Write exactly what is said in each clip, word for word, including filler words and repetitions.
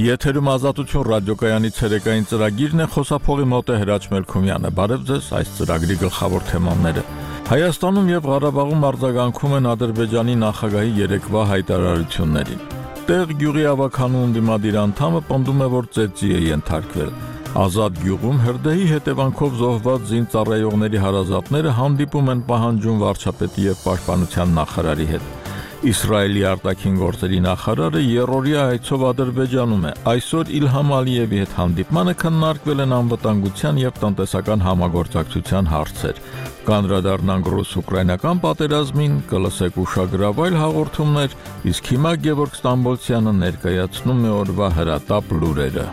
Եթերում Ազատություն ռադիոկայանի ցերեկային ծրագիրն է, խոսափողի մոտ է Հրաչ Մելքումյանը։ Բարև ձեզ, այս ծրագրի գլխավոր թեմաները։ Հայաստանում եւ Ղարաբաղում արձագանքում են Ադրբեջանի նախագահի երեկվա հայտարարություններին։ Տեղ գյուղի ավականու ընդդիմադիր անդամը պնդում է, որ ծեծի է ենթարկվել։ Ազատ գյուղում հրդեհի հետևանքով զոհված զինծառայողների հարազատները հանդիպում են պահանջում վարչապետի եւ պաշտպանության նախարարի հետ։ Իսրայելի արտաքին գործերի նախարարը երրորդյա այցով Ադրբեջանում է։ Այսօր Իլհամ Ալիևի հետ հանդիպմանը քննարկվել են անվտանգության եւ տնտեսական համագործակցության հարցեր։ Կանդրադառնանք ռուս-ուկրաինական պատերազմին, կլսեք ուշագրավայր հաղորդումներ, իսկ հիմա Գևորգ Ստամբոլցյանը ներկայացնում է օրվա հրատապ լուրերը։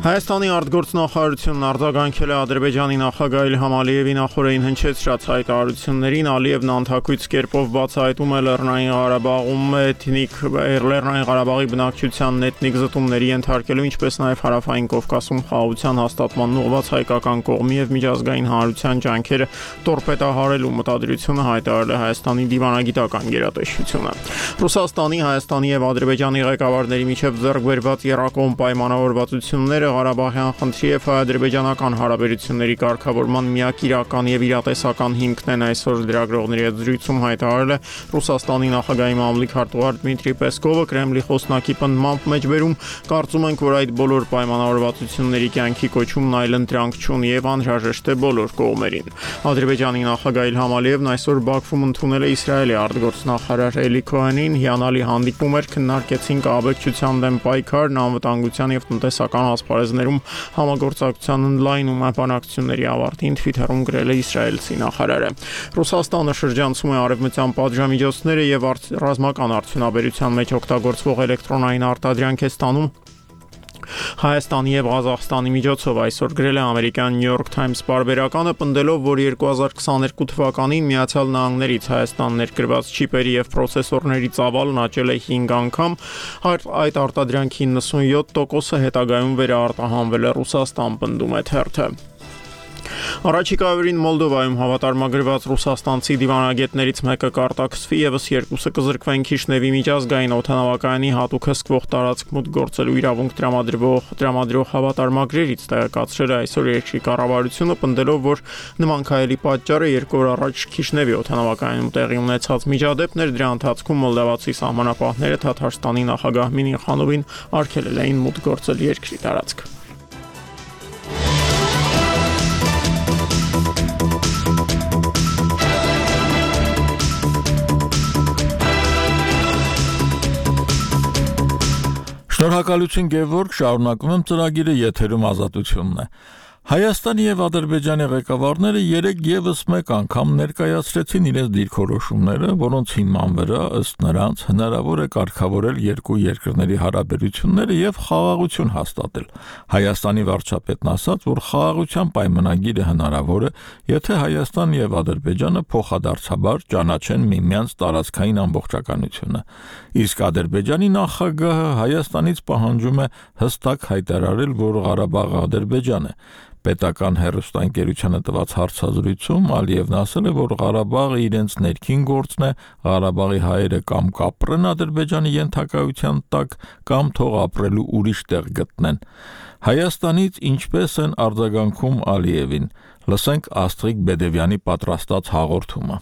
Հայաստանի արտգործնախարարությունն արձագանքել է Ադրբեջանի նախագահ Իլհամ Ալիևի նախորդին հնչեցրած հայտարարություններին։ Ալիևն անթակույց կերպով բացահայտում է Լեռնային Ղարաբաղում էթնիկ Լեռնային Ղարաբաղի բնակչությանն էթնիկ զտումների ենթարկելու, ինչպես նաև Հարավային Կովկասում խաղաղության հաստատման ուղղված հայկական կողմի եւ միջազգային հանրության ջանքերը տորպեդահարելու մտադրությունը հայտարարել է Հայաստանի դիվանագիտական գերատեսչությունը։ Ռուսաստանի, Հայաստանի եւ Ադրբեջանի ղեկավարների միջև ձեռք բերված եռակողմ պայմանավորվածությունները Ղարաբաղյան խնդրի եւ հայ-ադրբեջանական հարաբերությունների կարգավորման միակ իրական եւ իրատեսական հիմքն են, այսօր լրագրողների հետ զրույցում հայտարարել է Ռուսաստանի նախագահի մամլիկ քարտուղար Դմիտրի Պեսկովը։ Կրեմլի խոսնակի պնդմամբ մեջբերում կարծում ենք, որ այդ բոլոր պայմանավորվածությունների կյանքի կոչումն այլընտրանք չունի եւ անհրաժեշտ է բոլոր կողմերին։ Ադրբեջանի նախագահ Իլհամ Ալիևն այսօր Բաքվում ընդունել է Իսրայելի արտգործնախարար Էլի Քոհենին։ Հիանալի հանդիպում էր, քննարկեցինք աբեկչության դեմ պայքարն, անվտանգության եւ տնտեսական ասպարեզներում համագործակցության ընդլայնում բանակցությունների ավարտին Թվիթերում գրել է իսրայելցի նախարարը։ Ռուսաստանը շրջանցում է արևմտյան պատժամիջոցները եւ ռազմական արդյունաբերության մեջ օգտագործվող էլեկտրոնային արտադրանք է ստանում Հայաստանի եւ Ղազախստանի միջոցով, այսօր գրել է ամերիկյան New York Times պարբերականը, պնդելով, որ երկու հազար քսաներկու թվականին Միացյալ Նահանգներից Հայաստան ներկրված չիպերի եւ պրոցեսորների ծավալն աճել է հինգ անգամ, այդ արտադրանքի նվսունյոթ տոկոսը հետագայում վերարտահանվել է Ռուսաստան, պնդում է թերթը։ Առաջիկա օրերին Մոլդովայում հավատարմագրված ռուսաստանցի դիվանագետներից մեկը կարտաքսվի, եւս երկուսը կզրկվեն Քիշնևի միջազգային օդանավակայանի հատուկ հսկվող տարածք մուտք գործելու իրավունք տրամադրող տրամադրող հավատարմագրերից, տեղեկացրել է այսօր երկրի կառավարությունը, պնդելով, որ նման քայլի պատճառը երկու օր առաջ Քիշնևի օդանավակայանում տեղի ունեցած միջադեպներ, դրա ընթացքում մոլդավացի սահմանապահները Թաթարստանի նախագահ Մինիխանովին արգելել էին մուտք գործել երկրի տարածք։ Շնորհակալություն Գևորգ, շարունակում եմ ծրագիրը, եթերում Ազատությունն է։ Հայաստանի եւ Ադրբեջանի ղեկավարները երեք եւս մեկ անգամ ներկայացրեցին իրենց դիրքորոշումները, որոնց հիման վրա ըստ նրանց հնարավոր է կարգավորել երկու երկրների հարաբերությունները եւ խաղաղություն հաստատել։ Հայաստանի վարչապետն ասաց, որ խաղաղության պայմանագիրը հնարավոր է, եթե Հայաստանն եւ Ադրբեջանը փոխադարձաբար ճանաչեն միմյանց տարածքային ամբողջականությունը։ Իսկ Ադրբեջանի նախագահը Հայաստանից պահանջում է հստակ հայտարարել, որ Ղարաբաղը Ադրբեջան է։ Պետական հեռուստաընկերությանը տված հարցազրույցում Ալիևն ասել է, որ Ղարաբաղը իրենց ներքին գործն է, Ղարաբաղի հայերը կամ կապրեն Ադրբեջանի ենթակայության տակ, կամ թող ապրելու ուրիշ տեղ գտնեն։ Հայաստանից ինչպես են արձագանքում Ալիևին։ Լսենք Աստղիկ Բեդևյանի պատրաստած հաղորդումը։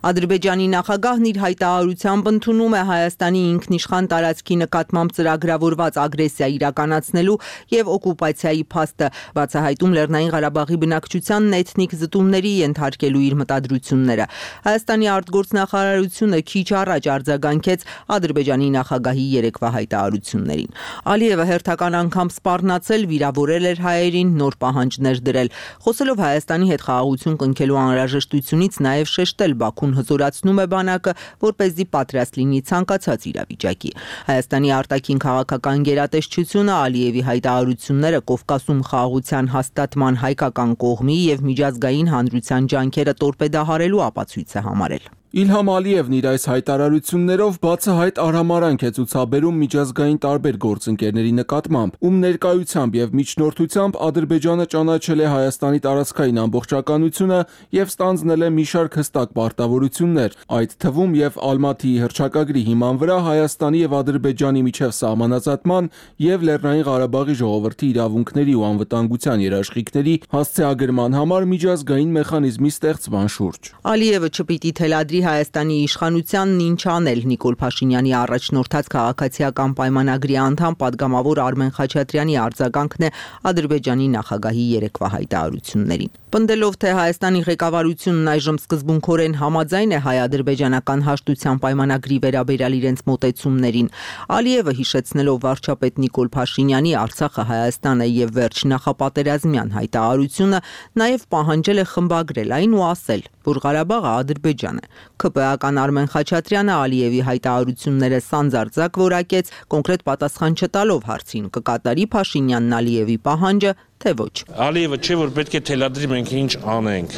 Ադրբեջանի նախագահն իր հայտարարությամբ ընդունում է Հայաստանի ինքնիշխան տարածքի նկատմամբ ծրագրավորված ագրեսիա իրականացնելու եւ օկուպացիայի փաստը, բացահայտում Լեռնային Ղարաբաղի բնակչությանն էթնիկ զտումների ենթարկելու իր մտադրությունները։ Հայաստանի արտգործնախարարությունը քիչ առաջ արձագանքեց Ադրբեջանի նախագահի երեկվա հայտարարություններին։ Ալիևը հերթական անգամ սպառնացել, վիրավորել էր հայերին, նոր պահանջներ դրել։ Խոսելով Հայաստանի հետ խաղաղություն կնքելու անհրաժեշտությունից, նաեւ շեշտել Բաքուն հզորացնում է բանակը, որպեսզի պատրաստ լինի ցանկացած իրավիճակի։ Հայաստանի արտաքին քաղաքական գերատեսչությունը Ալիևի հայտարարությունները Կովկասում խաղաղության հաստատման հայկական կողմի եւ միջազգային հանրության ջանքերը տորպեդահարելու ապացույց է համարել։ Իլհամ Ալիևն իր այս հայտարարություններով բացահայտ արհամարհանք է ցուցաբերում միջազգային տարբեր գործընկերների նկատմամբ, ում ներկայությամբ եւ միջնորդությամբ Ադրբեջանը ճանաչել է Հայաստանի տարածքային ամբողջականությունը եւ ստանձնել է մի շարք հստակ պարտավորություններ, այդ թվում եւ Ալմաթիի հռչակագրի հիման վրա Հայաստանի եւ Ադրբեջանի միջև սահմանազատման եւ Լեռնային Ղարաբաղի ժողովրդի իրավունքների ու անվտանգության երաշխիքների հասցեագրման համար միջազգային մեխանիզմի ստեղծման շուրջ։ Ալիևը չպիտի թելադրի Հայաստանի իշխանությանն ինչ անել Նիկոլ Փաշինյանի առաջնորդած քաղաքացիական պայմանագրի անդամ падգամավոր Արմեն Խաչատրյանի արձագանքն է Ադրբեջանի նախագահի երեկվա հայտարարություններին։ Պնդելով, թե Հայաստանի ղեկավարությունն այժմ սկզբունքորեն համաձայն է հայ-ադրբեջանական հաշտության պայմանագրի վերաբերյալ իրենց մոտեցումներին, Ալիևը հիշեցնելով վարչապետ Նիկոլ Փաշինյանի Արցախը Հայաստանը եւ վերջ նախապատերազմյան հայտարարությունը, նաեւ պահանջել է խմբագրել այն ու ասել, որ Ղարաբաղը Ադրբեջան է։ ՔՊ-ական Արմեն Խաչատրյանը Ալիևի հայտարարությունները սանձարձակ որակեց, կոնկրետ պատասխան չտալով հարցին՝ կկատարի Փաշինյանն Ալիևի պահանջը, թե ոչ։ Ալիևը չէ, որ պետք է թելադրի մենք ինչ անենք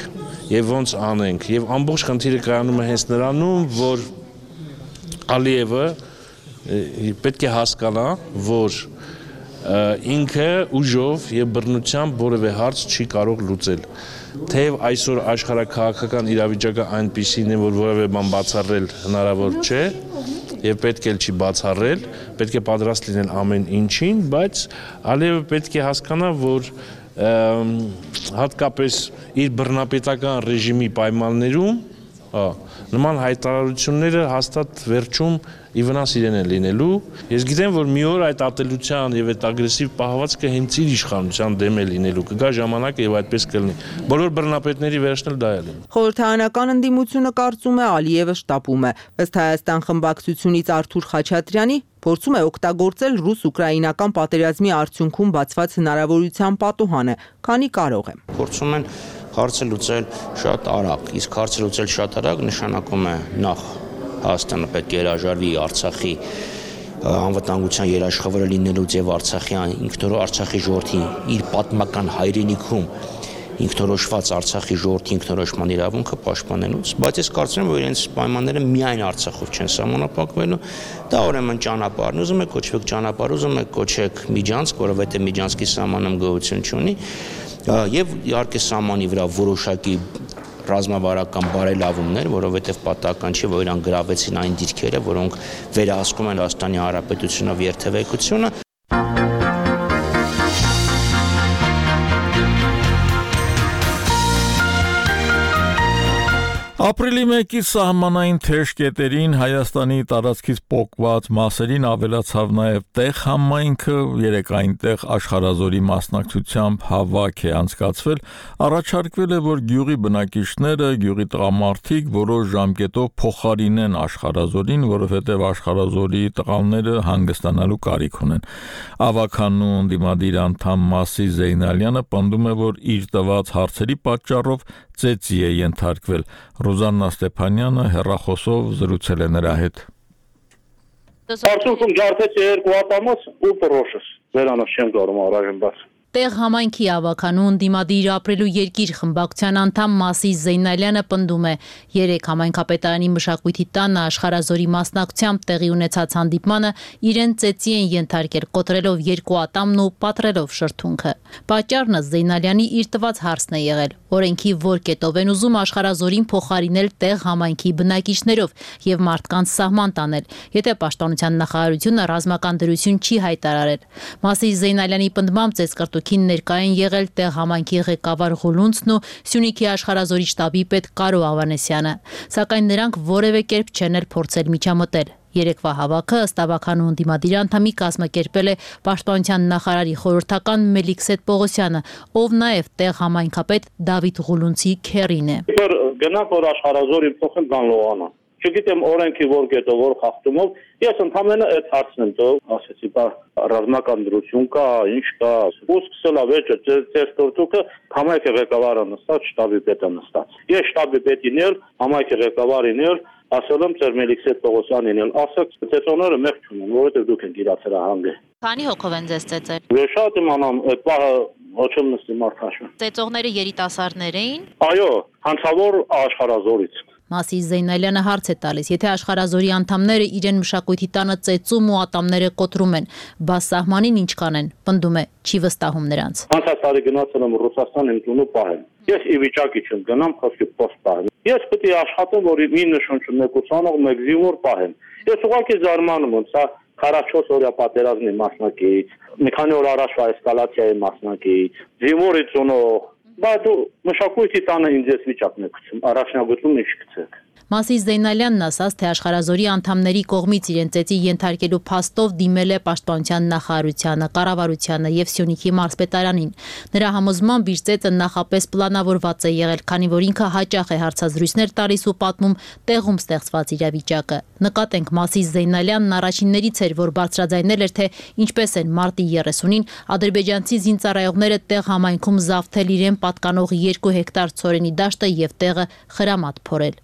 եւ ոնց անենք, եւ ամբողջ խնդիրը կայանում է հենց նրանում, որ Ալիևը պետք է հասկանա, որ ինքը ուժով եւ բռնությամբ որևէ հարց չի կարող լուծել։ Թեև այսօր աշխարհաքաղաքական իրավիճակը այնպիսին է, որ որևէ բան բացառել հնարավոր չէ եւ պետք էլ չի բացառել, պետք է պատրաստ լինել ամեն ինչին, բայց Ալիևը պետք է հասկանա, որ հատկապես իր բռնապետական ռեժիմի պայմաններում նման հայտարարությունները հաստատ վերջում ի վնաս իրեն է լինելու։ Ես գիտեմ, որ մի օր այդ ատելության եւ այդ ագրեսիվ պահվածքը հենց իր իշխանության դեմ է լինելու։ Կգա ժամանակը եւ այդպես կլինի։ Բոլոր բռնապետների վերջն էլ դա է լինի։ Խորհրդարանական ընդդիմությունը կարծում է Ալիևը շտապում է։ Ըստ Հայաստան խմբակցությունից Արթուր Խաչատրյանի փորձում է օգտագործել ռուս-ուկրաինական պատերազմի արդյունքում բացված հնարավորության պատուհանը, քանի կարող է։ Փորձում են հարցը լուծել շատ արագ, իսկ հարցը լուծել շատ արագ նշանակում է նախ Հայաստանը պետք է հրաժարվի Արցախի անվտանգության երաշխավորը լինելուց եւ Արցախի ինքնորոշ Արցախի ժողովրդի իր պատմական հայրենիքում ինքնորոշված Արցախի ժողովրդի ինքնորոշման իրավունքը պաշտպանելուց, բայց ես կարծում եմ, որ իրենց պայմանները միայն Արցախով չեն սահմանափակվելու, դա ուրեմն ճանապարհն, ուզում եք կոչվեք ճանապարհ, ուզում եք կոչեք Միջանցք, որովհետեւ Միջանցքի սահմանում գոյություն չունի, եւ իհարկե սահմանի վրա որոշակի ռազմավարական բարելավումներ, որովհետև պատահական չէ, որ իրան գրավեցին այն դիրքերը, որոնք վերահսկում են Հայաստանի Հանրապետությունով երթևեկությունը։ Ապրիլի մեկի սահմանային թեժ կետերին Հայաստանի տարածքից պոկված մասերին ավելացավ նաև տեղ համայնքը, երեք այնտեղ աշխարհազորի մասնակցությամբ հավաք է անցկացվել, առաջարկվել է, որ գյուղի բնակիչները, գյուղի տղամարդիկ որոշ ժամկետով փոխարինեն աշխարհազորին, որովհետև աշխարհազորի տղաները հանգստանալու կարիք ունեն։ Ավականու ընդդիմադիր անդամ Մասի Զեյնալյանը պնդում է, որ իր տված հարցերի պատճառով ծեծի է ենթարկվել։ Ռոզաննա Ստեփանյանը հեռախոսով զրուցել է նրա հետ։ Արդյունքում ջարդեց երկու ատամոց ու պրոշս։ Վերանոց չեմ կարող առայժմ բաց։ Տեղ համայնքի ավականու ընդդիմադիր ապրելու երկիր խմբակցության անդամ Մասի Զեյնալյանը պնդում է, երեք համայնքապետարանի մշակույթի տանը աշխարհազորի մասնակցությամբ տեղի ունեցած հանդիպմանը իրեն ծեծի են ենթարկել, կոտրելով երկու ատամն ու պատռելով շրթունքը։ Պատճառն Զեյնալյանի իր տված հարցն է եղել։ Օրենքի որ կետով են ուզում աշխարհազորին փոխարինել տեղ համայնքի բնակիչներով եւ մարդկանց սահման տանել, եթե պաշտպանության նախարարությունը ռազմական դրություն չի հայտարարել։ Մասի Զեյնալյանի պնդմամբ ծեծկրտուքին ներկա են եղել տեղ համայնքի ղեկավար Ղուլունցն ու Սյունիքի աշխարհազորի շտաբի պետ Կարո Ավանեսյանը, սակայն նրանք որևէ կերպ չեն էլ փորձել միջամտել։ Երեկվա հավաքը ըստ ավականու ընդդիմադիր անդամի կազմակերպել է պաշտպանության նախարարի խորհրդական Մելիքսեթ Պողոսյանը, ով նաև տեղ համայնքապետ Դավիթ Ղուլունցի քեռին է։ Գնանք որ աշխարհազորի փոխեն կան լողանա։ Չգիտեմ օրենքի որ կետով որ խախտումով, ես ընդհանրապես այդ հարցն եմ տෝ, ասեցի, բա ռազմական դրություն կա, ինչ կա, ու սկսել ավերջը ծեր տորտուկը համայնքի ղեկավարը նստած, շտաբի պետը նստած։ Ես շտաբի պետին էլ, համայնքի ղեկավարին էլ ասել եմ ծեր Մելիքսեթ Պողոսյանին էլ, ասեք, ծեծողները մեղք չունեն, որովհետև դուք եք իրացել հանգը։ Քանի հոգով են ձեզ ծեծել։ Ես շատ իմանամ, այդ պահը ոչ եմ նստի մարդ հաշվի։ Ծեծողները երիտասարդներ էին։ Այո, հանցավոր աշխարհազորից։ Մասիս Զեյնալյանը հարց է տալիս, եթե աշխարհազորի անդամները իրեն մշակույթի տանը ծեծում ու ատամները կոտրում են, բա սահմանին ինչ կանեն, պնդում է, չի վստահում նրանց։ Անցած տարի գնացել եմ Ռուսաստան իմ տունը պահեմ։ Ես ի վիճակի չեմ գնամ խոսքի post պահեմ։ Ես պետք է աշխատեմ, որ իմ նշանչը մեկ ուսանող, մեկ զինվոր պահեմ։ Ես ուղղակի զարմանում եմ, սա քառասունչորս օրյա պատերազմի մասնակից, մի քանի օր առաջվա էսկալացիայի մասնակից, զինվորի ծնող, բայց դու մշակույթի տանը ինձ ես վիճակն եք գցում, առաջնագծում ինչ գցեք։ Մասիս Զեյնալյանն ասաց, թե աշխարհազորի անդամների կողմից իրեն ծեծի ենթարկելու փաստով դիմել է Պաշտպանության նախարարությանը, կառավարությանը եւ Սյունիքի մարզպետարանին։ Նրա համոզմամբ իր ծեծը նախապես պլանավորված է եղել, քանի որ ինքը հաճախ է հարցազրույցներ տալիս ու պատմում տեղում ստեղծված իրավիճակը։ Նկատենք, Մասիս Զեյնալյանն առաջիններից էր, որ բարձրաձայնել էր, թե ինչպես են մարտի երեսունին ադրբեջանցի զինծառայողները տեղ համայնքում զավթել իրեն պատկանող երկու հեկտար ցորենի դաշտը եւ տեղը խրամատ փորել։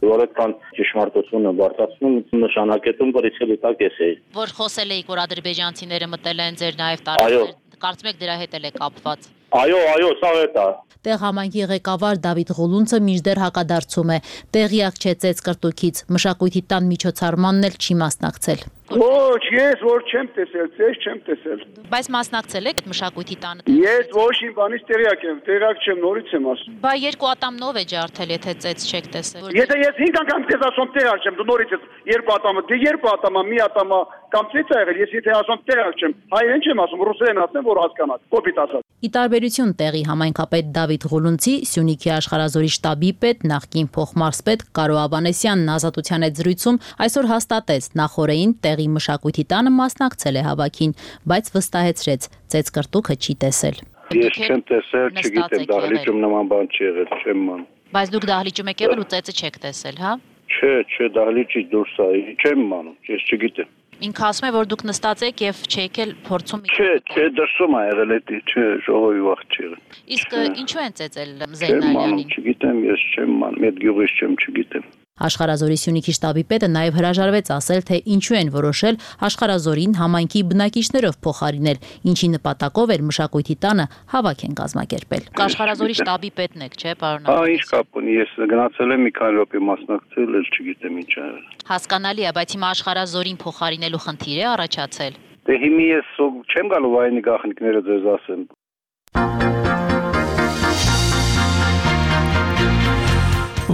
Ճշմարտությունը բարձրացնում նշանակետում բրիցելի տակ էս է։ Որ խոսել էիք, որ ադրբեջանցիները մտել են ձեր նաև տարածքներ, կարծում եք դրա հետ էլ է կապված։ Այո, այո, սա է դա։ Տեղ համայնքի ղեկավար Դավիթ Ղուլունցը մինչդեռ հակադարձում է։ Տեղյակ չէ ծեծ կրտուքից, մշակույթի տան միջոցառմանն էլ չի մասնակցել։ Ոչ, ես որ չեմ տեսել, ծեզ չեմ տեսել։ Բայց մասնակցել եք մշակույթի տանը։ Ես ոչ իմ բանից տեղյակ եմ, տեղյակ չեմ, նորից եմ ասում։ Բա երկու ատամնով է ջարդել, եթե ծեծ չեք տեսել։ Եթե ես հինգ անգամ քեզ ասում տեղյակ չեմ, դու նորից ես երկու ատամը, դե երկու ատամը, մի ատամը կամ ծեծ ա եղել, ես եթե ասում տեղյակ չեմ, հայերեն չեմ ասում, ռուսերեն ասեմ, որ հասկանաք, կոպիտ ասած։ Ի տարբերություն տեղի համայնքապետ Դավիթ Ղուլունցի, Սյունիքի աշխարհազորի շտաբի պետ, նախկին փոխմարզպետ Կարո Ավանեսյանն Ազատության հետ զրույցում այսօր հաստատեց, նախորդին տեղի մշակույթի տանը մասնակցել է հավաքին, բայց վստահեցրեց, ծեծ կրտուքը չի տեսել։ Ես չեմ տեսել, չգիտեմ, դահլիճում նման բան չի եղել, չեմ ման։ Բայց դուք դահլիճում եք եղել ու ծեծը չեք տեսել, հա։ Չէ, չէ, դահլիճից դուրս է, չեմ մանում, ես չգիտեմ։ Ինքը ասում է, որ դուք նստած եք եւ չեք էլ փորձում։ Չէ, չէ, դրսում է եղել էդի, չէ, ժողովի վաղ չի եղել։ Իսկ ինչու են ծեծել Չեմ Զեյնալյանին։ մանում, չգիտեմ, ես չեմ մանում, այդ գյուղից չեմ, չգիտեմ։ Աշխարհազորի Սյունիքի շտաբի պետը նաև հրաժարվեց ասել, թե ինչու են որոշել աշխարհազորին համայնքի բնակիչներով փոխարինել, ինչի նպատակով էր մշակույթի տանը հավաք են կազմակերպել։ Աշխարհազորի շտաբի պետն եք, չէ՞, պարոն։ Հա, ինչ կապ ունի, ես գնացել եմ մի քանի րոպե մասնակցել, էլ չգիտեմ ինչ ա եղել։ Հասկանալի է, բայց հիմա աշխարհազորին փոխարինելու խնդիր է առաջացել։ Դե հիմա ես չեմ գալու վայնի գախնիկները ձեզ ասեմ։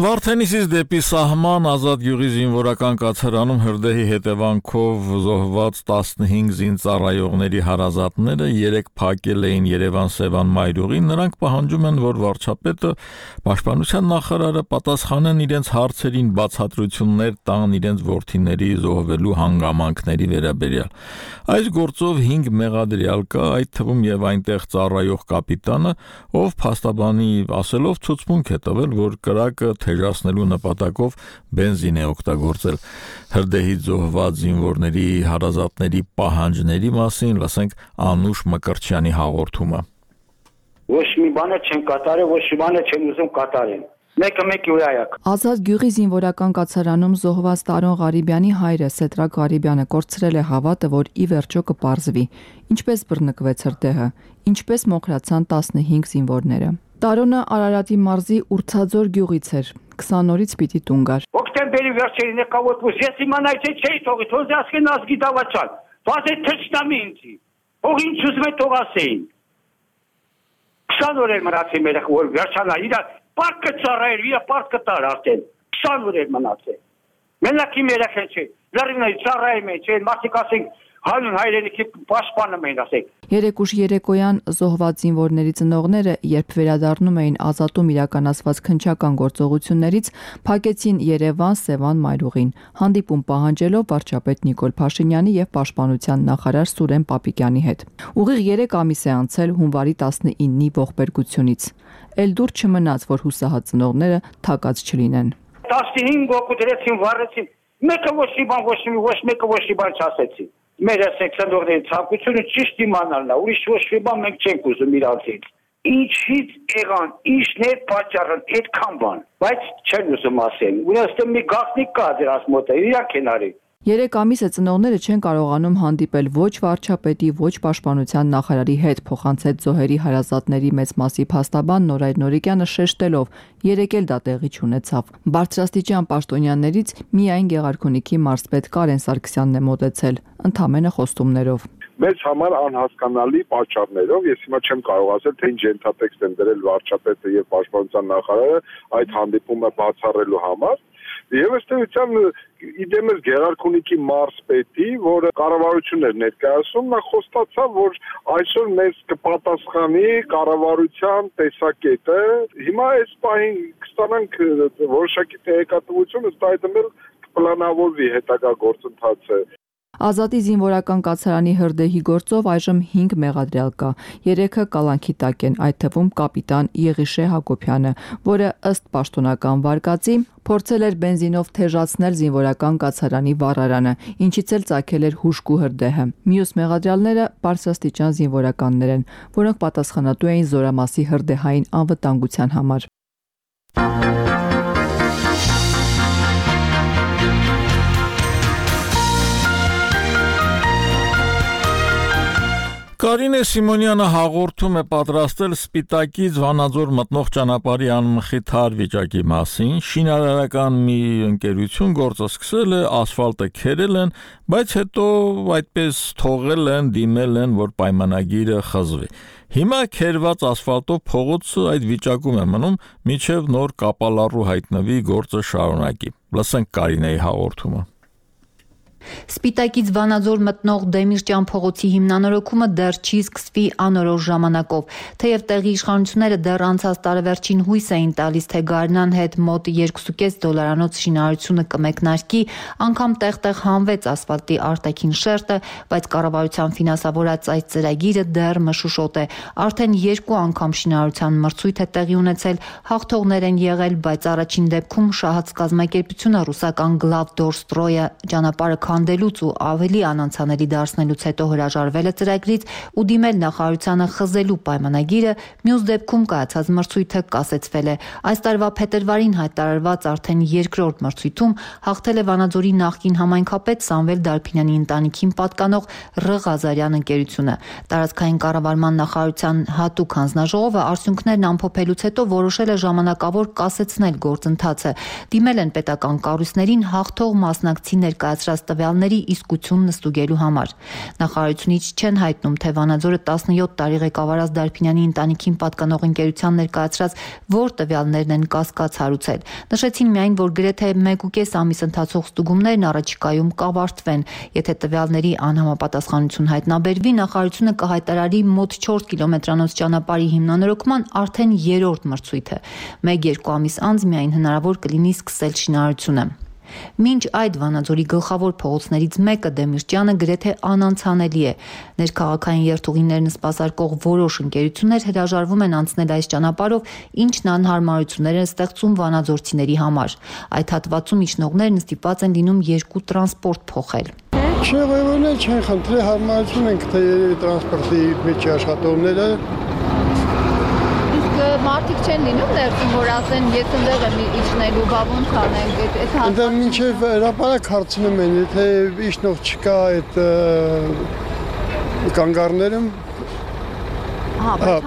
Վարդենիսից դեպի սահման Ազատ գյուղի զինվորական կացարանում հրդեհի հետևանքով զոհված տասնհինգ զինծառայողների հարազատները երեք փակել էին Երևան-Սևան մայրուղին, նրանք պահանջում են, որ վարչապետը, Պաշտպանության նախարարը պատասխանեն իրենց հարցերին, բացատրություններ տան իրենց որդիների զոհվելու հանգամանքների վերաբերյալ։ Այս գործով հինգ մեղադրյալ կա, այդ թվում եւ այնտեղ ծառայող կապիտանը, ով փաստաբանի ասելով ցուցմունք է տվել, որ կրակը թեժացնելու նպատակով բենզին է օգտագործել։ Հրդեհի զոհված զինվորների հարազատների պահանջների մասին լսենք Անուշ Մկրտչյանի հաղորդումը։ Ոչ մի բան չեն կատարել, ոչ մի բան չեն ուզում կատարել։ Մեկը մեկի ուրայակ։ Ազատ գյուղի զինվորական կացարանում զոհված Տարոն Ղարիբյանի հայրը Սետրակ Ղարիբյանը կորցրել է հավատը, որ ի վերջո կպարզվի, ինչպես բռնկվեց հրդեհը, ինչպես մոխրացան տասնհինգ զինվորները։ Տարոնը Արարատի մարզի Ուրցաձոր գյուղից էր, քսան օրից պիտի տուն գար։ Օկտեմբերի վերջերին եկավոտուս, ես իմանայի թե չէի թողի, թող ասկեն ազգի դավաճան, վազե թրջնամի ինձի, ող ինչ ուզում է թող ասեին։ Քսան օր էր մնացի մեր որ վերջանա, իրա պարկը ծառայր, իրա պարկը տար արդեն, քսան օր էր մնացել։ Մենակ իմ երեխեն չէ, լրինայի ծառայում են, չէ, մարդիկ ասենք հանուն հայրենիքի պաշտպանում էին ասեք։ Երեք ուշ երեկոյան զոհված զինվորների ծնողները, երբ վերադառնում էին Ազատում իրականացված քննչական գործողություններից, փակեցին Երևան-Սևան մայրուղին, հանդիպում պահանջելով վարչապետ Նիկոլ Փաշինյանի եւ Պաշտպանության նախարար Սուրեն Պապիկյանի հետ։ Ուղիղ երեք ամիս է անցել հունվարի տասնինի ողբերգությունից։ Էլ դուր չմնաց, որ հուսահատ ծնողները թակած չլինեն։ տասնհինգ օգու դրեցին, վառեցին, մեկը ոչ մի բան, ոչ մի ոչ մեկը ոչ մի բան չասեցին։ Մեր ասեք ծնողների ցանկությունը ճիշտ իմանալն է, ուրիշ ոչ մի բան մենք չենք ուզում իրանցից։ Ինչից եղան, ինչն է պատճառը, այդքան բան, բայց չեն ուզում ասել։ Ուրեմն մի գաղտնիք կա դրանց մոտ, իրանք են արի։ Երեք ամիս է ծնողները չեն կարողանում հանդիպել ոչ վարչապետի, ոչ պաշտպանության նախարարի հետ, փոխանցեց զոհերի հարազատների մեծ մասի փաստաբան Նորայր Նորիկյանը շեշտելով, երեք էլ դա տեղի չունեցավ։ Բարձրաստիճան պաշտոնյաներից միայն Գեղարքունիքի մարզպետ Կարեն Սարգսյանն է մոտեցել, ընդամենը խոստումներով։ Մեզ համար անհասկանալի պատճառներով, ես հիմա չեմ կարող ասել, թե ինչ ենթատեքստ են դրել վարչապետը եւ պաշտպանության նախարարը այդ հանդիպումը բացառելու համար։ Եվ ըստ էության իդեմս Գեղարքունիքի մարզպետի, որը կառավարությունն էր ներկայացնում, նա խոստացավ, որ այսօր մեզ կպատասխանի կառավարության տեսակետը։ Հիմա այս պահին կստանանք որոշակի տեղեկատվություն, ըստ այդմ էլ կպլանավորվի հետագա գործընթացը։ Ազատի զինվորական կացարանի հրդեհի գործով այժմ հինգ մեղադրյալ կա։ Երեքը կալանքի տակ են, այդ թվում կապիտան Եղիշե Հակոբյանը, որը ըստ պաշտոնական վարկածի փորձել էր բենզինով թեժացնել զինվորական կացարանի վառարանը, ինչից էլ ծագել էր հուժկու հրդեհը։ Մյուս մեղադրյալները բարձրաստիճան զինվորականներ են, որոնք պատասխանատու էին Զորամասի հրդեհային անվտանգության համար։ Կարինե Սիմոնյանը հաղորդում է պատրաստել Սպիտակից Վանաձոր մտնող ճանապարհի անմխիթար վիճակի մասին։ Շինարարական մի ընկերություն գործը սկսել է, ասֆալտը քերել են, բայց հետո այդպես թողել են, դիմել են, որ պայմանագիրը խզվի։ Հիմա քերված ասֆալտով փողոցը այդ վիճակում է մնում, մինչև նոր կապալառու հայտնվի գործը շարունակի։ Լսենք Կարինեի հաղորդումը։ Սպիտակից Վանաձոր մտնող Դեմիրճյան փողոցի հիմնանորոգումը դեռ չի սկսվի անորոշ ժամանակով, թեև տեղի իշխանությունները դեռ անցած տարեվերջին հույս էին տալիս, թե Գարնան հետ մոտ երկու կես դոլարանոց շինարարությունը կմեկնարկի, անգամ տեղ-տեղ հանվեց ասֆալտի արտաքին շերտը, բայց կառավարության ֆինանսավորած այս ծրագիրը դեռ մշուշոտ է։ Արդեն երկու անգամ շինարարության մրցույթ է տեղի ունեցել, հաղթողներ են եղել, բայց առաջին դեպքում շահած կազմակերպությունը ռուսական Գլավդորստրոյը ճանապարհը քանդելուց ու ավելի անանցանելի դարձնելուց հետո հրաժարվել է ծրագրից ու դիմել նախարարությանը խզելու պայմանագիրը, մյուս դեպքում կայացած մրցույթը կասեցվել է։ Այս տարվա փետրվարին հայտարարված արդեն երկրորդ մրցույթում հաղթել է Վանաձորի նախկին համայնքապետ Սամվել Դարփինյանի ընտանիքին պատկանող Ռ Ղազարյան ընկերությունը։ Տարածքային կառավարման նախարարության հատուկ հանձնաժողովը արդյունքներն ամփոփելուց հետո որոշել է ժամանակավոր կասեցնել գործընթացը։ Դիմել են պետական կառույցներին հաղթող մասնակցի ներկայացրած տվյալների իսկությունն ստուգելու համար։ Նախարարությունից չեն հայտնում, թե Վանաձորը տասնյոթ տարի ղեկավարած Դարփինյանի ընտանիքին պատկանող ընկերության ներկայացրած որ տվյալներն են կասկած հարուցել։ Նշեցին միայն, որ գրեթե մեկ ու կես ամիս ընթացող ստուգումներն առաջիկայում կավարտվեն։ Եթե տվյալների անհամապատասխանություն հայտնաբերվի, նախարարությունը կհայտարարի մոտ չորս կիլոմետրանոց ճանապարհի հիմնանորոգման արդեն երրորդ մրցույթը։ Մեկ-երկու ամիս անց միայն հնարավոր կլինի սկսել շինարարությունը։ Մինչ այդ Վանաձորի գլխավոր փողոցներից մեկը Դեմիրճյանը գրեթե անանցանելի է։ Ներքաղաքային երթուղիներն սպասարկող որոշ ընկերություններ հրաժարվում են անցնել այս ճանապարհով, ինչն անհարմարություններ է ստեղծում վանաձորցիների համար։ Այդ հատվածում իջնողներն ստիպված են լինում երկու տրանսպորտ փոխել։ Չեղևոն է, չեն խնդրի հարմարություն ենք, թե տրանսպորտի մեջ աշխատողները Մարդիկ չեն լինում ներսում, որ ասեն, եթե ընդեղ եմ իջնելու, բա ոնց անենք, այդ հատվածը։ Այնտեղ մինչև հրապարակ հարցնում են, եթե իջնող չկա այդ կանգառներում, հա, բայց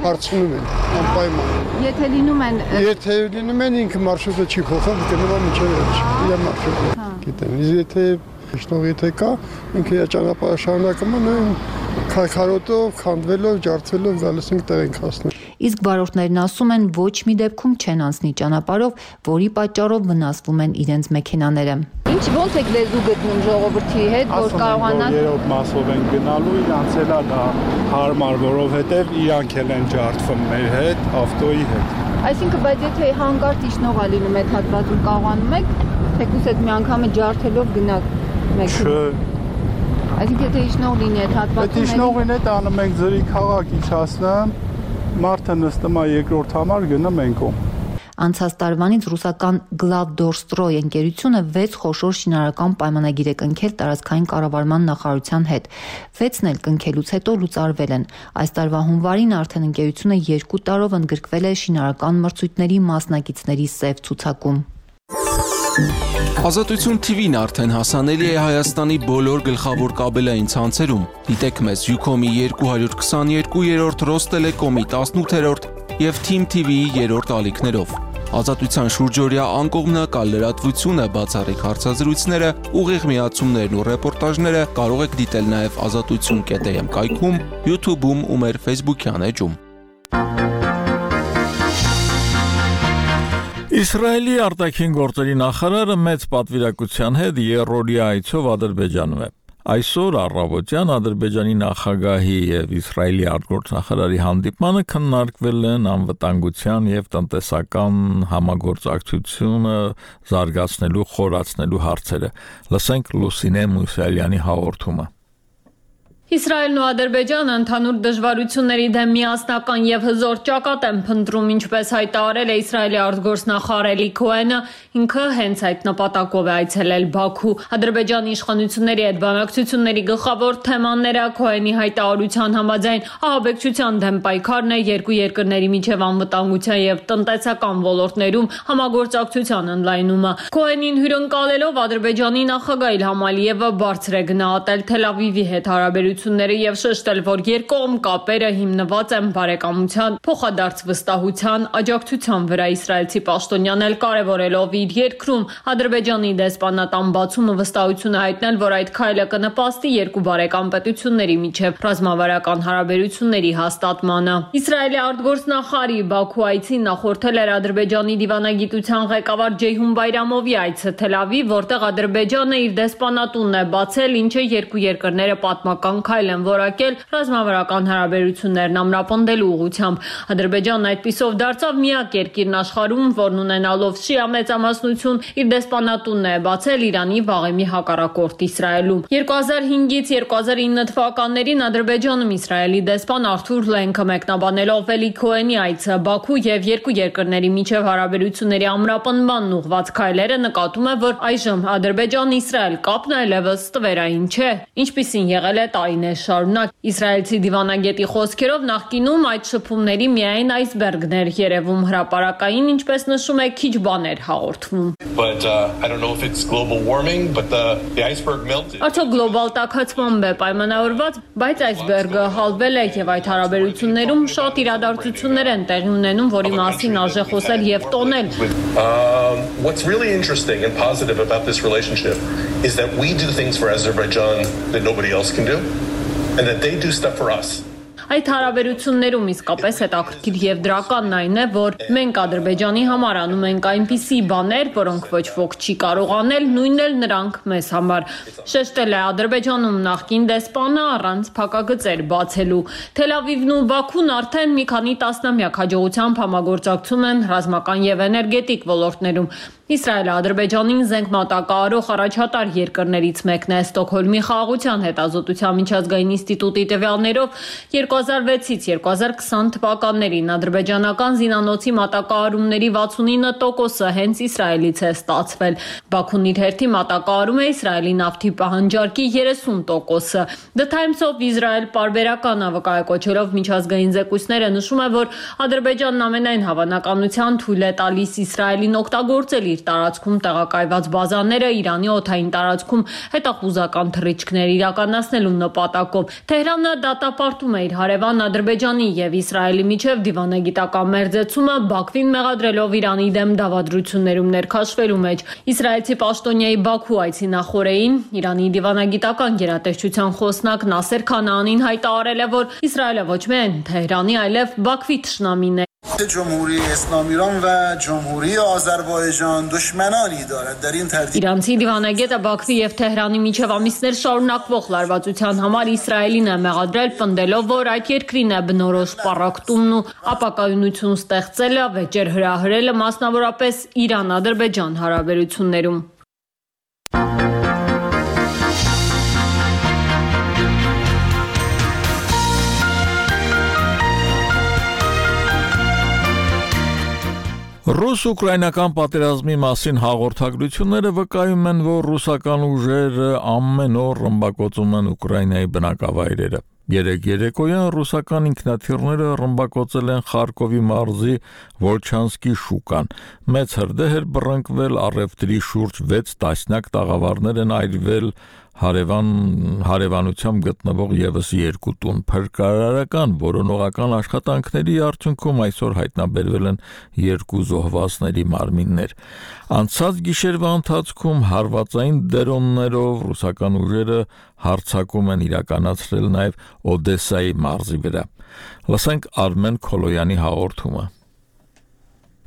հարցնում են, անպայման։ Եթե լինում են Եթե լինում են ինքը մարշրուտը չի փոխել, գնում մինչև վերջ, իր մարշրուտը գիտեն։ Իսկ եթե իջնող եթե կա, ինքը իր ճանապարհը շարունակում է նույն քայքարոտով, քանդվելով, ջարդվելով գալիս ենք տեղ ենք հասնում։ Իսկ վարորդներն ասում են, ոչ մի դեպքում չեն անցնի ճանապարհով, որի պատճառով վնասվում են իրենց մեքենաները։ Ինչ ոնց եք լեզու գտնում ժողովրդի հետ, որ կարողանան երրորդ մասով են գնալու, իրանց էլ դա հարմար, որովհետև իրանք էլ են ջարդվում մեր հետ, ավտոյի հետ։ Այսինքն, բայց եթե հանկարծ իջնող է լինում այդ հատվածում, կարողանում եք թեկուզ այդ մի անգամը ջարդելով գնալ մեքենա։ Այսինքն, եթե իջնող լինի այդ հատվածում, այդ իջնողին հետ անում ենք ձրի քաղաք իջացնեմ, մարդը նստում է երկրորդ համար գնում ենք ում։ Անցած տարվանից ռուսական Գլավդորստրոյ ընկերությունը վեց խոշոր շինարարական պայմանագիր է կնքել տարածքային կառավարման նախարարության հետ։ վեցն էլ կնքելուց հետո լուծարվել են։ Այս տարվա հունվարին արդեն ընկերությունը երկու տարով ընդգրկվել է շինարարական մրցույթների մասնակիցների սև ցուցակում։ Ազատություն թի վին արդեն հասանելի է Հայաստանի բոլոր գլխավոր կաբելային ցանցերում։ Դիտեք մեզ Ucom-ի երկու քսաներկու, Ռոստելեկոմի տասնութ եւ Թիմ թի վիի երրորդ ալիքներով։ Ազատության շուրջօրյա անկողմնակալ լրատվությունը, բացառիկ հարցազրույցները, ուղիղ միացումներն ու ռեպորտաժները կարող եք դիտել նաև ազատություն կետ էմ կայքում, YouTube-ում ու մեր Facebook-յան էջում։ Իսրայելի արտաքին գործերի նախարարը մեծ պատվիրակության հետ երրորդյա այցով Ադրբեջանում է։ Այսօր առավոտյան Ադրբեջանի նախագահի եւ Իսրայելի արտգործնախարարի հանդիպմանը քննարկվել են անվտանգության եւ տնտեսական համագործակցությունը զարգացնելու, խորացնելու հարցերը։ Լսենք Լուսինե Մուսալյանի հաղորդումը։ Իսրայելն ու Ադրբեջանը ընդհանուր դժվարությունների դեմ միասնական եւ հզոր ճակատ են փնտրում, ինչպես հայտարարել է Իսրայելի արտգործնախարար Էլի Քոհենը, ինքը հենց այդ նպատակով է այցելել Բաքու։ Ադրբեջանի իշխանությունների հետ բանակցությունների գլխավոր թեմաները Քոհենի հայտարարության համաձայն ահաբեկչության դեմ պայքարն է, երկու երկրների միջև անվտանգության եւ տնտեսական ոլորտներում համագործակցության ընդլայնումը։ Քոհենին հյուրընկալելով Ադրբեջանի նախագահ Իլհամ Ալիևը բարձր է գնահատել Թել Ավիվի հետ հարաբերությունները եւ շեշտել, որ երկկողմ կապերը հիմնված են բարեկամության, փոխադարձ վստահության, աջակցության վրա։ Իսրայելցի պաշտոնյան էլ կարևորելով իր երկրում Ադրբեջանի դեսպանատան բացումը վստահություն է հայտնել, որ այդ քայլը կնպաստի երկու բարեկամ պետությունների միջև ռազմավարական հարաբերությունների հաստատմանը։ Իսրայելի արտգործնախարարի Բաքու այցին նախորդել էր Ադրբեջանի դիվանագիտության ղեկավար Ջեյհուն Բայրամովի այցը Թել Ավիվ, որտեղ Ադրբեջանը իր դեսպանատունն է բացել, ինչը երկու երկրները պատմական քայլ են որակել ռազմավարական հարաբերություններն ամրապնդելու ուղղությամբ։ Ադրբեջանն այդպիսով դարձավ միակ երկիրն աշխարհում, որն ունենալով շիա մեծամասնություն իր դեսպանատունն է բացել Իրանի վաղեմի հակառակորդ Իսրայելում։ երկու հազար հինգից երկու հազար ինը թվականներին Ադրբեջանում Իսրայելի դեսպան Արթուր Լենքը մեկնաբանելով Էլի Քոհենի այցը Բաքու եւ երկու երկրների միջև հարաբերությունների ամրապնդմանն ուղղված քայլերը նկատում է, որ այժմ Ադրբեջան-Իսրայել կապն այլևս ստվերային չէ, ինչպիսին եղել է տարիներ շարունակ։ Իսրայելցի դիվանագետի խոսքերով նախկինում այդ շփումների միայն այսբերգներ երևում, հրապարակային, ինչպես նշում է, քիչ բաներ հաղորդվում։ Արդյոք գլոբալ տաքացմամբ է պայմանավորված, բայց այսբերգը հալվել է եւ այդ հարաբերություններում շատ իրադարձություններ են տեղի ունենում, որի մասին արժե խոսել եւ տոնել։ What's really interesting and positive about this relationship is that we do things for Azerbaijan that nobody else can do, and that they do stuff for us. Այդ հարաբերություններում իսկապես հետաքրքիր եւ դրականն այն է, որ մենք Ադրբեջանի համար անում ենք այնպիսի բաներ, որոնք ոչ ոք չի կարող անել, նույնն էլ նրանք մեզ համար։ Շեշտել է Ադրբեջանում նախկին դեսպանը առանց փակագծեր բացելու։ Թել Ավիվն ու Բաքուն արդեն մի քանի տասնամյակ հաջողությամբ համագործակցում են ռազմական եւ էներգետիկ ոլորտներում։ Իսրայելը Ադրբեջանին զենք մատակարարող առաջատար երկրներից մեկն է։ Ստոկհոլմի խաղաղության հետազոտության միջազգային ինստիտուտի տվյալներով երկու հազար վեցից երկու հազար քսան թվականներին ադրբեջանական զինանոցի մատակարարումների վաթսունինը տոկոսը հենց Իսրայելից է ստացվել։ Բաքուն իր հերթի մատակարարում է Իսրայելի նավթի պահանջարկի երեսուն տոկոսը։ The Times of Israel պարբերական վկայակոչելով միջազգային զեկույցները նշում է, որ Ադրբեջանն ամենայն հավանականությամբ թույլ է տալիս Իսրայելին օգտագործել իր տարածքում տեղակայված բազաները Իրանի օդային տարածքում հետախուզական թռիչքներ իրականացնելու նպատակով։ Թեհրանը դատապարտում է իր հարևան Ադրբեջանի եւ Իսրայելի միջև դիվանագիտական մերձեցումը, Բաքվին մեղադրելով Իրանի դեմ դավադրություններում ներքաշվելու մեջ։ Իսրայելցի պաշտոնյայի Բաքու այցի նախօրեին Իրանի դիվանագիտական գերատեսչության խոսնակ Նասեր Քանանին հայտարարել է, որ Իսրայելը ոչ միայն Թեհրանի, այլև Բաքվի թշնամին է։ جمهوری اسلامی ایران و جمهوری آذربایجان دشمنانی دارد در این ترتیب Իրանցի դիվանագետը Բաքվի եւ Թեհրանի միջև ամիսներ շարունակվող լարվածության համար Իսրայելին է մեղադրել, պնդելով, որ այդ երկրին է բնորոշ պառակտումն ու ապակայունություն ստեղծելը, վեճեր հրահրելը, մասնավորապես Իրան-Ադրբեջան հարաբերություններում։ Ռուս-ուկրաինական պատերազմի մասին հաղորդագրությունները վկայում են, որ ռուսական ուժերը ամեն օր ռմբակոծում են Ուկրաինայի բնակավայրերը։ Երեք երեկոյան ռուսական ինքնաթիռները ռմբակոծել են Խարկովի մարզի Վոլչանսկի շուկան։ Մեծ հրդեհ էր բռնկվել, առևտրի շուրջ վեց տասնյակ տաղավարներ են այրվել, հարևան հարևանությամբ գտնվող եւս երկու տուն։ Փրկարարական որոնողական աշխատանքների արդյունքում այսօր հայտնաբերվել են երկու զոհվածների մարմիններ։ Անցած գիշերվա ընթացքում հարվածային դրոններով ռուսական ուժերը հարձակում են իրականացրել նաև Օդեսայի մարզի վրա։ Լսենք Արմեն Քոլոյանի հաղորդումը։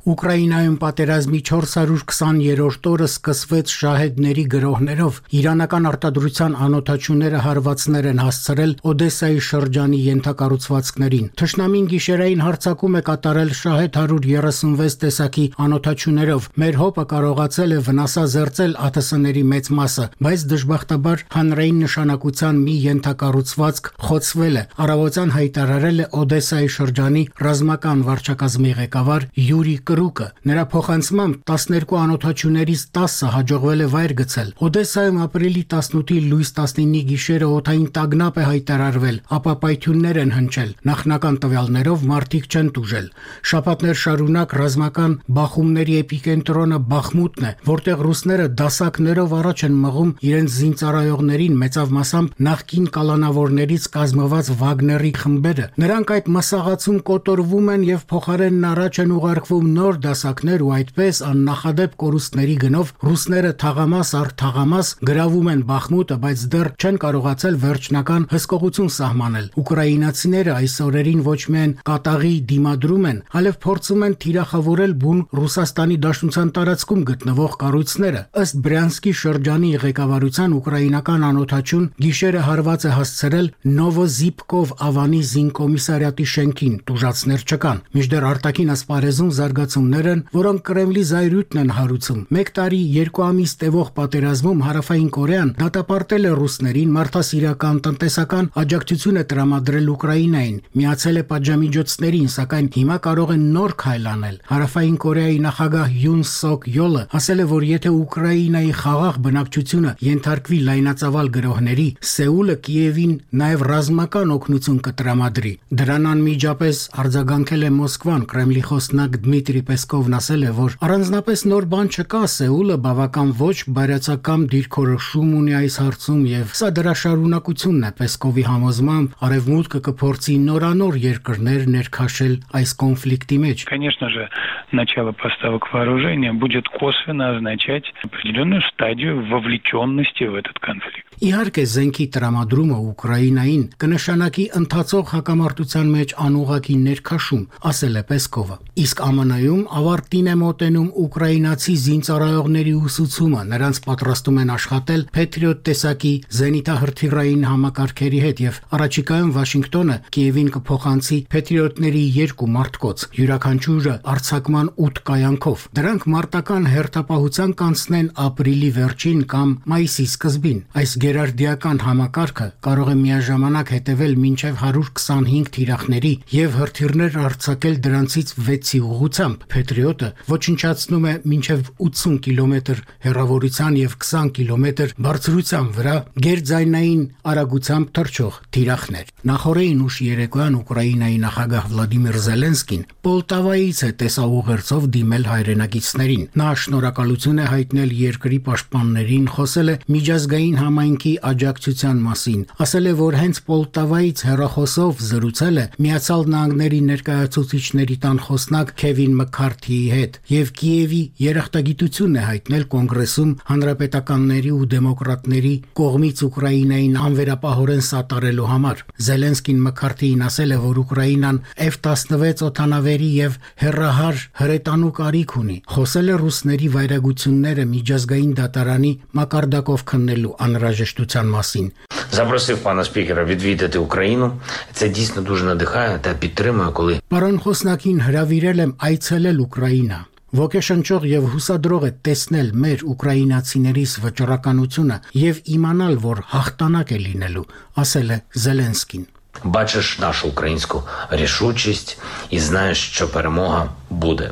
Ուկրաինայում պատերազմի չորս հարյուր քսաներորդ օրը սկսվեց շահեդների գրոհներով։ Իրանական արտադրության անօթաչուները հարվածներ են հասցրել Օդեսայի շրջանի ենթակառուցվածքներին։ Թշնամին գիշերային հարձակում է կատարել շահեդ հարյուր երեսունվեց տեսակի անօթաչուներով։ Մեր հոպը կարողացել է վնասազերծել ԱԹՍ-ների մեծ մասը, բայց դժբախտաբար հանրային նշանակության մի ենթակառուցվածք խոցվել է։ Առավոտյան հայտարարել է Օդեսայի շրջանի ռազմական վարչակազմի ղեկավար Յուրի Կրուկը։ Նրա փոխանցմամբ տասներկու անօթաչուներից տասը հաջողվել է վայր գցել։ Օդեսայում ապրիլի տասնութի լույս տասնինի գիշերը օդային տագնապ է հայտարարվել, ապա պայթյուններ են հնչել։ Նախնական տվյալներով մարդիկ չեն տուժել։ Շաբաթներ շարունակ ռազմական բախումների էպիկենտրոնը Բախմուտն է, որտեղ ռուսները դասակներով առաջ են մղում իրենց զինծառայողներին, մեծավ մասամբ նախկին կալանավորներից կազմված Վագների խմբերը։ Նրանք այդ մսաղացում կոտորվում են եւ փոխարենն առաջ են ուղարկվում նոր դասակներ ու այդպես աննախադեպ կորուստների գնով ռուսները թաղամաս առ թաղամաս գրավում են Բախմուտը, բայց դեռ չեն կարողացել վերջնական հսկողություն սահմանել։ Ուկրաինացիները այս օրերին ոչ միայն կատաղի դիմադրում են, այլև փորձում են թիրախավորել բուն Ռուսաստանի Դաշնության տարածքում գտնվող կառույցները։ Ըստ Բրյանսկի շրջանի ղեկավարության ուկրաինական անօթաչուն գիշերը հարված է հասցրել Նովոզիպկով Ավանի զինկոմիսարիատի շենքին, տուժածներ չկան։ Մինչդեռ արտաքին ասպարեզում զարգացումներ են, որոնք Կրեմլի զայրույթն են հարուցում։ Մեկ տարի երկու ամիս տևող պատերազմում Հարավային Կորեան դատապարտել է ռուսներին, մարդասիրական, տնտեսական աջակցություն է տրամադրել Ուկրաինային, միացել է պատժամիջոցներին, սակայն հիմա կարող են նոր քայլ անել։ Հարավային Կորեայի նախագահ Յուն Սոկ Յոլը ասել է, որ եթե Ուկրաինայի խաղաղ բնակչությունը ենթարկվի լայնածավալ գրոհների, Սեուլը Կիևին նաև ռազմական օգնություն կտրամադրի։ Դրան անմիջապես արձագանքել է Մոսկվան։ Կրեմլի խոսնակ Դմիտրի Պեսկովն ասել է, որ առանձնապես նոր բան չկա, Սեուլը բավական ոչ բարյացակամ դիրքորոշում ունի այս հարցում եւ սա դրա շարունակությունն է։ Պեսկովի համոզմամբ Արևմուտքը կփորձի նորանոր երկրներ ներքաշել այս կոնֆլիկտի մեջ։ Конечно же, начало поставок вооружения будет косвенно означать определенную стадию вовлеченности в этот конфликт. Իհարկե զենքի տրամադրումը Ուկրաինային կնշանակի ընթացող հակամարտության մեջ անուղղակի ներքաշում, ասել է Պեսկովը։ Իսկ ԱՄՆ-ում ավարտին է մոտենում ուկրաինացի զինծառայողների ուսուցումը, նրանց պատրաստում են աշխատել Patriot տեսակի զենիթահրթիռային համակարգերի հետ եւ առաջիկայում Վաշինգտոնը Կիևին կփոխանցի Patriot-ների երկու մարտկոց, յուրաքանչյուրը արձակման ութ կայանքով։ Դրանք մարտական հերթապահության կանցնեն ապրիլի վերջին կամ մայիսի սկզբին։ Այս գերարդիական համակարգը կարող է միաժամանակ հետևել մինչև հարյուր քսանհինգ թիրախների եւ հրթիռներ արձակել դրանցից վեցի ուղղությամբ։ Patriot-ը ոչնչացնում է մինչև ութսուն կիլոմետր հեռավորության եւ քսան կիլոմետր բարձրության վրա գերձայնային արագությամբ թռչող թիրախներ։ Նախորդին ուշ երեկոյան Ուկրաինայի նախագահ Վլադիմիր Զելենսկին Պոլտավայից է տեսաուղերձով դիմել հայրենակիցներին։ Նա շնորհակալություն է հայտնել երկրի պաշտպաններին, խոսել է միջազգային համայնքի աջակցության մասին, ասել է, որ հենց Պոլտավայից հեռախոսով զրուցել է Միացյալ Նահանգների ներկայացուցիչների տան խոսնակ Քևին Մքարթիի հետ եւ Կիևի երախտագիտությունն է հայտնել կոնգրեսում հանրապետականների ու դեմոկրատների կողմից Ուկրաինային անվերապահորեն սատարելու համար։ Զելենսկին Մքարթիին ասել է, որ Ուկրաինան Էֆ տասնվեց օդանավերի եւ հեռահար հրետանու կարիք ունի։ Խոսել է ռուսների վայրագությունները միջազգային դատարանի մակարդակով քննելու անհրաժեշտության մասին։ Запросив пана спікера відвідати Україну. Це дійсно дуже надихає та підтримує, коли Պարոն խոսնակին հրավիրել եմ այցելել Ուկրաինա։ Ոգեշնչող եւ հուսադրող է տեսնել մեր ուկրաինացիներիս վճռականությունը եւ իմանալ, որ հաղթանակ է լինելու, ասել է Զելենսկին։ бачиш нашу українську рішучість і знаєш, що перемога буде.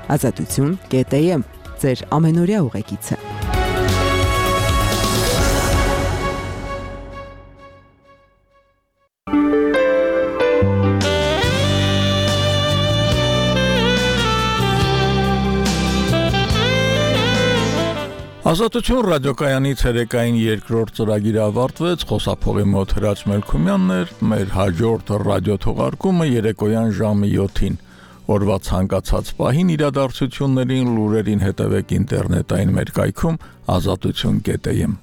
Ազատություն կետ է եմ, ձեր ամենօրյա ուղեկիցը։ Ազատություն ռադիոկայանի ցերեկային երկրորդ ծրագիրը ավարտվեց, խոսափողի մոտ Հրաչ Մելքումյանն էր, մեր հաջորդ ռադիո թողարկումը երեկոյան ժամը յոթին։ Օրվա ցանկացած պահին իրադարձություններին, լուրերին հետևեք ինտերնետային մեր կայքում ազատություն կետ am։